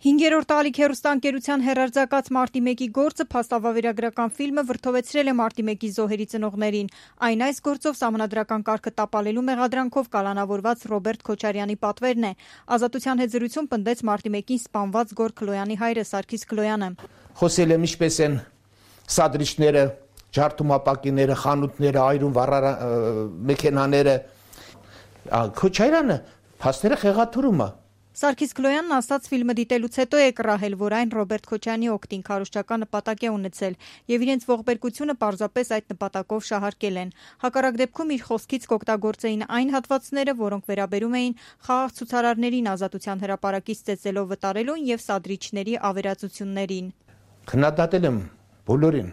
5-րդ ալիք հեռուստաընկերության հեռարձակած Մարտի 1-ի գործը փաստավավերագրական ֆիլմը վրդովեցրել է Մարտի 1-ի զոհերի ծնողներին։ Այն այս գործով սահմանադրական կարգը տապալելու մեղադրանքով կալանավորված Ռոբերտ Քոչարյանի պատվերն է։ Ազատության հետ զրույցում պնդեց Մարտի 1-ին սպանված Գոր Քլոյանի հայրը Սարգիս Քլոյանը։ Խոսել եմ ինչպես են սադրիչները, ջարդումապակիները, խանութները, այրուն մեքենաները, Քոչարյանը փաստերը խեղաթյուրում է։ Սարգիս Քլոյանն ասաց ֆիլմը դիտելուց հետո է կռահել, որ այն Ռոբերտ Քոչարյանի օգտին քարոզչական նպատակ է ունեցել եւ իրենց ողբերգությունը պարզապես այդ նպատակով շահարկել են։ Հակառակ դեպքում իր խոսքից կօգտագործեին այն հատվածները, որոնք վերաբերում էին խաղաղ ցուցարարներին ազատության հրապարակից ծեծելով վտարելուն եւ սադրիչների ավերածություններին։ Քննադատել եմ բոլորին,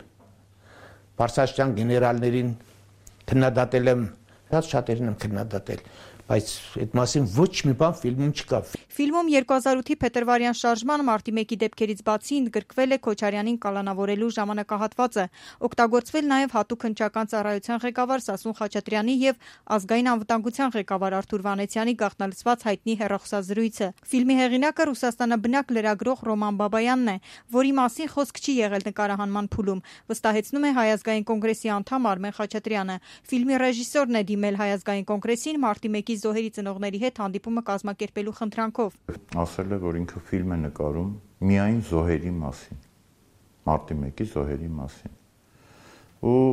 Բարսաշյան գեներալներին քննադատել եմ, շատերին եմ քննադատել, բայց այդ մասին ոչ մի բան ֆիլմում չկա։ Ֆիլմում 2008-ի փետրվարյան շարժման Մարտի 1-ի դեպքերից բացի ընդգրկվել է Քոչարյանին կալանավորելու ժամանակահատվածը, օգտագործվել նաև հատուկ հնչական ծառայության ղեկավար Սասուն Խաչատրյանի եւ ազգային անվտանգության ղեկավար Արթուր Վանեցյանի գաղտնալցված հայտնի հեռախոսազրույցը։ Ֆիլմի հեղինակը Ռուսաստանաբնակ լրագրող Ռոման Բաբայանն է, որի մասին խոսք չի եղել նկարահանման փուլում, վստահեցնում է Հայ ազգային կոնգրեսի անդամ Արմեն Խաչատրյանը։ Ֆիլմի ռեժիսորն է դիմել Հայ ազգային կոնգրեսին Մարտի 1-ի զոհերի ծնողների հետ հանդիպումը կազմակերպելու խնդրանքով։ Ասել է, որ ինքը ֆիլմ է նկարում միայն զոհերի մասին, Մարտի 1-ի զոհերի մասին, ու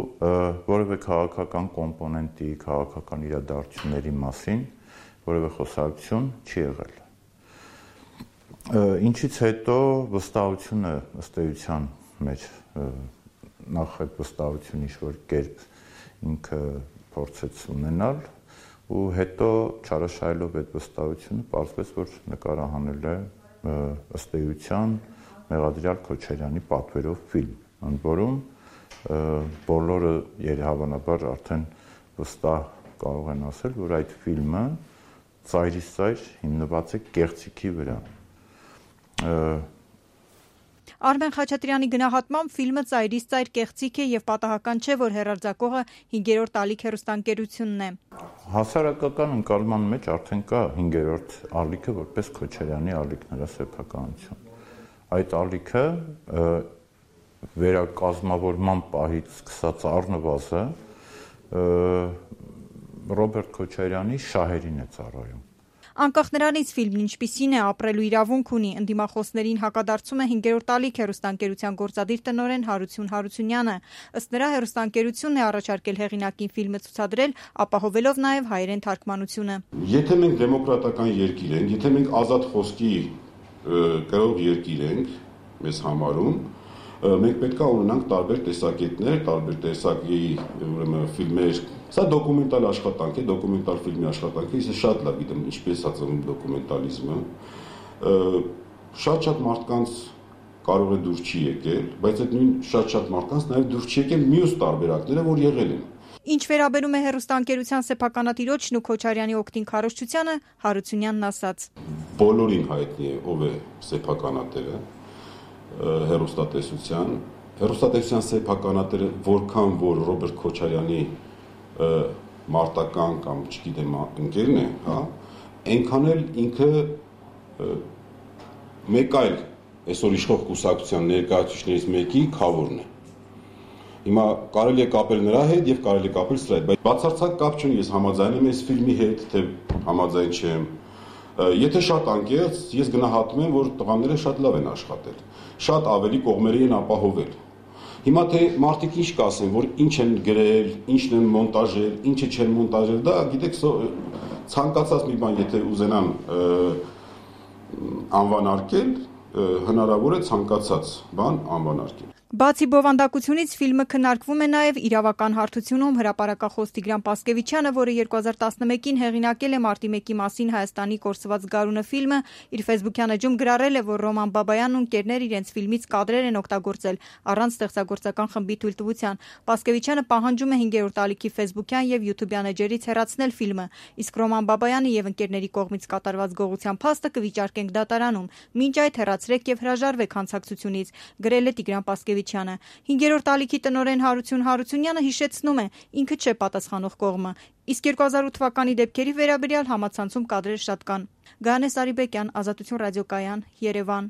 որևէ քաղաքական կոմպոնենտի, քաղաքական իրադարձությունների մասին որևէ խոսակցություն չի եղել։ Ինչից հետո վստահությունը ըստ էության մեջ նախ այդ վստահությունը ինչ-որ կերպ ինքը փորձեց ունենալ ու հետո չարաշահելով այդ վստահությունը պարզվեց, որ նկարահանել է ըստ էության մեղադրյալ Քոչարյանի պատվերով ֆիլմ, ընդ որում բոլորը երևանաբար արդեն վստահ կարող են ասել, որ այդ ֆիլմը ծայրից ծայր հիմնված է կեղծիքի վրա։ Արմեն Խաչատրյանի գնահատմամբ ֆիլմը ծայրից ծայր կեղծիք է եւ պատահական չէ, որ հեռարձակողը 5-րդ ալիք հեռուստաընկերությունն է։ Հասարակական ընկալման մեջ արդեն կա 5-րդ ալիքը որպես Քոչարյանի ալիք նրա սեփականություն։ Այդ ալիքը վերակազմավորման պահից սկսած առնվազը Ռոբերտ Քոչարյանի շահերին է ծառայում։ Անկախ նրանից ֆիլմն ինչպիսին է, ապրելու իրավունք ունի, ընդդիմախոսներին հակադարձում է 5-րդ ալիք հեռուստաընկերության գործադիր տնօրեն Հարություն Հարությունյանը։ Ըստ նրա հեռուստաընկերությունն է առաջարկել հեղինակին ֆիլմը ցուցադրել, ապահովելով նաև հայերեն թարգմանությունը։ Եթե մենք դեմոկրատական երկիր ենք, եթե մենք ազատ խոսքի կրող երկիր ենք, մեզ համարում, մենք պետք է ունենանք տարբեր տեսակետներ, տարբեր տեսակի ֆիլմեր։ Սա դոկումենտալ աշխատանք է, դոկումենտալ ֆիլմի աշխատանք է, ես շատ լավ գիտեմ ինչպես է ծնվում դոկումենտալիզմը։ Շատ մարդկանց կարող է դուր չի եկել, բայց այդ նույն շատ մարդկանց նաև դուր չի եկել մյուս տարբերակները, որ եղել են։ Ինչ վերաբերում է հեռուստաընկերության սեփականատիրոջն ու Քոչարյանի օգտին քարոզչությանը, Հարությունյանն ասաց. Բոլորին հայտնի է ով է սեփականատերը հեռուստատեսության սեփականատերը, որքան որ Ռոբերտ Քոչարյանի մարտական կամ չգիտեմ ընկերն է, հա, այնքան էլ ինքը մեկ այլ այսօր իշխող կուսակցության ներկայացուցիչներից մեկի քավորն է։ Հիմա կարելի է կապել նրա հետ եւ կարելի է կապել սրա հետ, բայց բացարձակ կապ չունի, ես համաձայն եմ այս ֆիլմի հետ, թե համաձայն չեմ։ Եթե շատ անկեղծ, ես գնահատում եմ, որ տղաները շատ լավ են աշխատել, շատ ավելի կողմերի են ապահովել։ Հիմա թե մարդիկ ինչ կասեն, որ ինչ են գրել, ինչն են մոնտաժել, ինչը չեն մոնտաժել, դա գիտեք ցանկացած մի բան եթե ուզենան անվանարկել, հնարավոր է ցանկացած բան անվանարկել։ Բացի բովանդակությունից ֆիլմը քննարկվում է նաև իրավական հարթությունում հրապարակախոս Տիգրան Պասկևիչյանը, որը 2011-ին հեղինակել է Մարտի 1-ի մասին Հայաստանի կորսված գարունը ֆիլմը, իր ֆեյսբուքյան էջում գրառել է, որ Ռոման Բաբայանն ու ընկերներ իրենց ֆիլմից կադրեր են օգտագործել առանց ստեղծագործական խմբի թույլտվության։ Պասկևիչյանը պահանջում է 5-րդ ալիքի ֆեյսբուքյան եւ յութուբյան էջերից հեռացնել ֆիլմը, իսկ Ռոման Բաբայանը եւ ընկերների կողմից կատարված գողության փաստը կվիճարկենք դատարանում։ Մինչ այդ հեռացրեք եւ հրաժարվեք հանցակցությունից, գրել է Տիգրան Պասկևիչյանը։ 5-րդ ալիքի տնօրեն Հարություն Հարությունյանը հիշեցնում է, ինքը չէ պատասխանող կողմը, իսկ 2008 թվականի դեպքերի վերաբերյալ համացանցում կադրեր շատ կան։ Գայանե Սարիբեկյան, Ազատություն ռադիոկայան, Երևան։